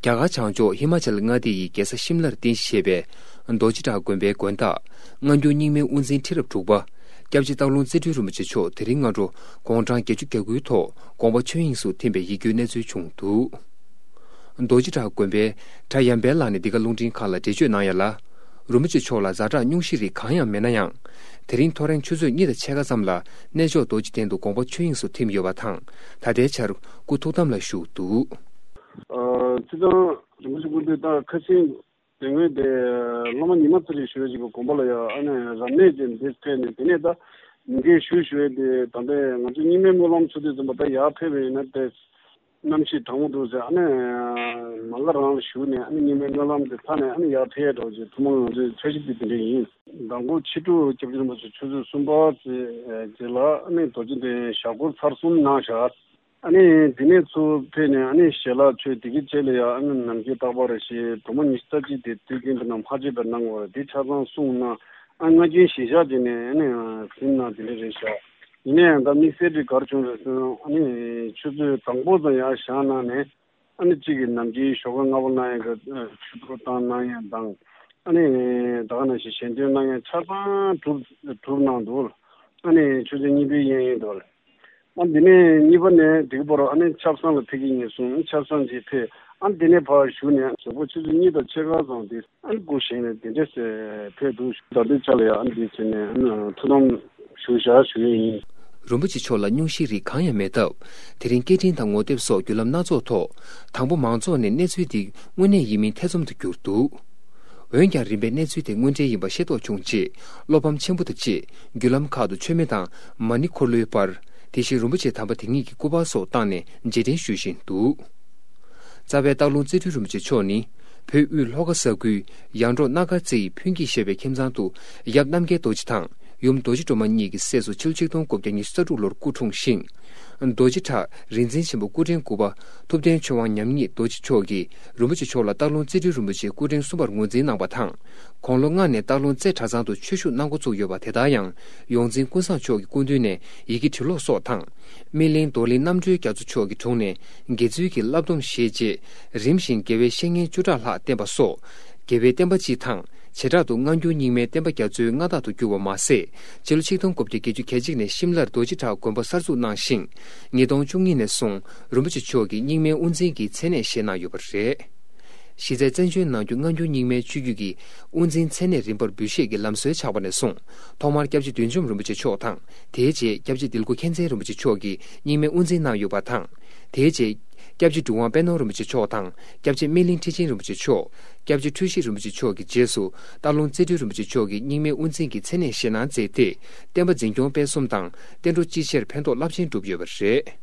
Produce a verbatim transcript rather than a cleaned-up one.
རྒྱ་གར་བྱང་ཕྱོགས་ཧི་མ་ཅལ་མངའ་སྡེ་ཡི་རྒྱལ་ས་ཤིམ་ལར་རྟེན་གཞི་བྱས་པའི་རྡོ་རྗེ་བྲག་དགོན་པའི་དགོན་བདག་སྔ་འགྱུར་རྙིང་མའི་དབུ་འཛིན་ཁྲི་རབས་དྲུག་པ་སྐྱབས་རྗེ་སྟག་ལུང་རྩེ་སྤྲུལ་རིན་པོ་ཆེ་མཆོག་དེ་རིང་སྔ་དྲོ་དགུང་གྲངས་བརྒྱད་ཅུ་གྱ་དགུའི་ཐོག་དགོངས་པ་ཆོས་དབྱིངས་སུ་ཐིམ་པའི་ཡིད་སྐྱོའི་གནས་ཚུལ་བྱུང་འདུག་རྡོ་རྗེ་བྲག་དགོན་པའི་གྲྭ་ཡམ་པལ་ལགས་ནས་འདི་ག་རླུང་འཕྲིན་ཁང་ལ་འགྲེལ་བརྗོད་གནང་ཡ་ལ། རིན་པོ་ཆེ་མཆོག་ལ་ཛ་དྲག་སྙུང་གཞི་རིགས་གང་ཡང་མེད་ན་ཡང་། དེ་རིང་ཐོ་རེངས་ཆུ་ཚོད་གཉིས་དང་ཕྱེད་ཀ་ཙམ་ལ་གནས་མཆོག་རྡོ་རྗེ་གདན་དུ་དགོངས་པ་ཆོས་དབྱིངས་སུ་ཐིམ་ཡོད་པ་དང་། ད་ལྟའི་ཆར་སྐུ་ཐུགས་དམ་ལ་བཞུགས་འདུག་ཨ་སྤྱིར་བཏང་རིན་པོ་ཆེ་སྐུ་མདུན་ད་ཁ་སང་དེ་སྔོན་དེ་སློབ་མ་ཉི་མ་རྩ་རེ་ཞུ་བའི་ཅིག་གི་དགོན་པ་ལ་ཡང་ཨ་ནི་རབ་གནས་ཅིག་འདིར་ཕེབས་ནས། དེ་ནས་ད་ཉིན་འགའི་ཞུ་ཞུ་བའི་དེ་ད་ལྟའི་ང་ཚོ་རྙིང་མའི་སྨོན་ལམ་ཚུགས་དུས་ཙམ་པ་ད་ཡར་ཕེབས་པ་ཡིན་ན་དེ། གནམ་གཤིས་གྲང་མོ་འདུག་ཟེར། ཨ་ནི་མ་ག་རང་ལ་ཞུགས་ནས་ཨ་ནི་རྙིང་མའི་སྨོན་ལམ་དེ་ཚར་ནས་ཨ་ནི་ཡར་ཕེབས་འགྲོ་ཅེས་ཐུགས་སྨོན་ང་ཚོའི་འཆར་གཞི་དེ་དེ་འདྲ་ཡིན། མདང་དགོང་ཕྱི་དྲོ་སྐྱབས་རྗེ་རིན་པོ་ཆེ་ཆུ་ཚོད་གསུམ་པ་ཙམ་ལ་ཨ་ནི་རྡོ་རྗེ་གདན་ཞབས་སྐོར་ཚར་གསུམ་གནང་བཞག་ཨ་ནི་དེ་ནས་ཚུར་ཕེབས་ནས་ཨ་ནི་ཞལ་ལག་མཆོད། དེ་གི་རྗེས་ལ་ཡང་ཨ་ནི་ནམ་མཁའི་རྟག་པ་རེ་བཞེངས། སྒྲོལ་མ་ཉི་ཤུ་རྩ་གཅིག་དེ་དུས་རྒྱུན་དུ་ནང་མ་བརྗེད་པར་གནང་དགོས་རེད། དེ་ཆ་ཚང་གསུངས་གནང་། ཨ་ང་རྒྱལ་ཞེ་བཞག་བྱས་ནས་ཨ་ནི་ཟིན་གནང་དེ་འདྲ་རེད་བཞག་ཡིན་ན་ཡང་ད་དམིགས་བསལ་དེ་ག་རེ་བྱུང་རེད་ཟེར་ན། ཨ་ནི་ཆུ་ཚོད་དང་པོ་ཙམ་ཡར་བཞེངས་གནང་ནས། ཨ་ནི་གཅིག་གི་ནམ་རྒྱུན་ཞོགས་ཀ་སྔ་པོ་གནང་ཡས་ཀྱི་ཆུ་གཏོར་བཏང་གནང་ཡས་དང་། ཨ་ནི་ད་ག་ནང་བཞིན་ཞལ་འདོན་གནང་ཡས་ཆ་ཚང་གྲུབ་གྲུབ་གནང་འདུག་ཨ་ནི་ཆུ་ཚོད་གཉིས་པའི་གཡས་གཡོན་དུ། ཨ་འདི་ནས་གཉིས་པ་ནས་འདི་ག་བར་ཨ་ནི་ཆབ་གསང་ལ་ཕེབས་ཀྱི་ཡིན་གསུངས། ཆབ་གསང་ཅིག་ཕེབས། ཨ་འདི་ནས་ཕར་བཞུགས་ནས་གཟའ་ཕུར་ཆུ་ཚོད་གཉིས་དང་ཕྱེད་ཀ་ཙམ་དེ། ཨ་ནི་སྐུ་བཞེངས་ནས་དེ་འདྲས་ཕེབས་འདུག་ད་ལྟའི་ཆ་ལ་ཡང་ཨ་ནི་འདི་བྱས་ནས་ཨ་ནི་ཐུགས་དམ་ཞུ་བཞག་ཞུ་ཡས་ཡིན། རིན་པོ་ཆེ་མཆོག་ལ་སྙུང་གཞིའི་རིགས་གང་ཡང་མེད་སྟབས། དེ་རིང་སྐད་འཕྲིན་དང་ངོ་དེབ་སོགས་བརྒྱུད་ལམ་སྣ་ཚོགས་ཐོག་དང་པོ་མང་ཚོགས་ནས་གནས་ཚུལ་འདི་དངོས་གནས་ཡིན་མིན་ཐེ་ཚོམ་དུ་གྱུར་འདུག་འོན་ཀྱང་རིམ་པས་གནས་ཚུལ་དེ་དངོས་འབྲེལ་ཡིན་པ་ཤེས་རྟོགས་བྱུང་རྗེས། བློ་ཕམ་ཆེན་པོ་དང་བཅས་བརྒྱུད་ལམ་ཁག་ཏུ་མཆོད་མེ་དང་མ་ཎི་འཁོར་ལོའི་པར། དེ་བཞིན་རིན་པོ་ཆེ་དམ་པ་དེ་ཉིད་ཀྱི་སྐུ་པར་སོགས་བཏང་ནས་རྗེས་དྲན་ཞུ་བཞིན་འདུག་རྩ་བའི་སྟག་ལུང་རྩེ་སྤྲུལ་རིན་པོ་ཆེ་མཆོག་ནི། བོད་དབུས་ལྷོ་ཁ་ས་ཁུལ་ཡར་འབྲོག་སྣ་དཀར་རྩེ་ཡི་ཕུན་སྐྱིད་ཞེས་པའི་ཁྱིམ་ཚང་དུ་ཡབ་རྣམ་རྒྱལ་རྡོ་རྗེ་དང་ཡུམ་རྡོ་རྗེ་སྒྲོལ་མ་གཉིས་ཀྱི་སྲས་སུ་ཕྱི་ལོ་ཆིག་སྟོང་དགུ་བརྒྱ་ཉི་ཤུ་རྩ་དྲུག་ལོར་སྐུ་འཁྲུངས་ཤིང་། རྡོ་རྗེ་བྲག་རིག་འཛིན་ཆེན་པོ་སྐུ་ཕྲེང་དགུ་པ་ཐུབ་བསྟན་ཆོས་དབང་ཉམས་ཉིད་རྡོ་རྗེ་མཆོག་གིས་རིན་པོ་ཆེ་མཆོག་ལ་སྟག་ལུང་རྩེ་སྤྲུལ་རིན་པོ་ཆེའི་སྐུ་ཕྲེང་གསུམ་པར་ངོས་འཛིན་གནང་བ་དང་། དགུང་ལོ་ལྔ་ནས་སྟག་ལུང་རྩེ་གྲྭ་ཚང་དུ་ཆོས་ཞུགས་གནང་འགོ་བཙུགས་ཡོད་པ་དེ་ལྟར་ཡང་། ཡོངས་འཛིན་ཀུན་བཟང་མཆོག་གི་སྐུ་མདུན་ནས་ཡི་གེ་འབྲི་ཀློག་སོགས་དང་། སྨིན་གླིང་རྡོར་གླིང་རྣམ་གྲོལ་རྒྱ་མཚོ་མཆོག་གི་དྲུང་ནས་དགེ་ཚུལ་གྱི་བསླབ་སྡོམ་བཞེས་རྗེས། རིམ་བཞིན་དགེ་བའི་བཤེས་གཉེན་བཅུ་ཕྲག་ལྷག་བསྟེན་པ་སོགས། དགེ་བའི་བསྟན་པ་སྤྱི་དང་། བྱེ་བྲག་ཏུ་སྔ་འགྱུར་རྙིང་མའི་བསྟན་པ་རྒྱ་མཚོའི་མངའ་བདག་ཏུ་གྱུར་བ་མ་ཟད། སྤྱི་ལོ་ཆིག་སྟོང་དགུ་བརྒྱ་བརྒྱད་ཅུ་གྱ་གཅིག་ནས་ཤིམ་ལར་རྡོ་རྗེ་བྲག་དགོན་པ་གསར་འཛུགས་གནང་ཞིང་། ཉིས་སྟོང་བཅུ་གཉིས་ནས་བཟུང་རིན་པོ་ཆེ་མཆོག་གིས་རྙིང་མའི་དབུ་འཛིན་གྱི་མཚན་གནས་བཞེས་གནང་ཡོད་པ་རེད། གཞི་རྩའི་བཙན་བྱོལ་ནང་བཞིན་སྔ་འགྱུར་རྙིང་མའི་ཆོས་བརྒྱུད་ཀྱི་དབུ་འཛིན་མཚན་གནས་རིམ་པར་འབུལ་བཞེས་ཀྱི་ལམ་སྲོལ་ཆགས་པ་ནས་བཟུང་། ཐོག་མར་སྐྱབས་རྗེ་བདུད་འཇོམས་རིན་པོ་ཆེ་མཆོག་དང་། དེའི་རྗེས་སྐྱབས་རྗེ་དིལ་མགོ་མཁྱེན་བརྩེ་རིན་པོ་ཆེ་མཆོག་གིས་རྙིང་མའི་དབུ་འཛིན་གནང་ཡོད་པ་དང་། དེའི་རྗེས་སྐྱབས་རྗེ་གྲུབ་དབང་དཔལ་ནོར་རིན་པོ་ཆེ་མཆོག་དང་། སྐྱབས་རྗེ་སྨིན་གླིང་ཁྲི་ཆེན་རིན་པོ་ཆེ་མཆོག་སྐྱབས་རྗེ་འཁྲུལ་ཞིག་རིན་པོ་ཆེ་མཆོག་གི་རྗེས་སུ་སྟག་ལུང་རྩེ་སྤྲུལ་རིན་པོ་ཆེ་མཆོག་གིས་རྙིང་མའི་དབུ་འཛིན་གྱི་མཚན་གནས་བཞེས་གནང་མཛད་དེ། བསྟན་པ་འཛིན་སྐྱོང་སྤེལ་གསུམ་དང་བསྟན་འགྲོ་སྤྱི་བཤེར་ཕན་ཐོགས་རླབས་ཆེན་བསྒྲུབས་ཡོད་པ་རེད།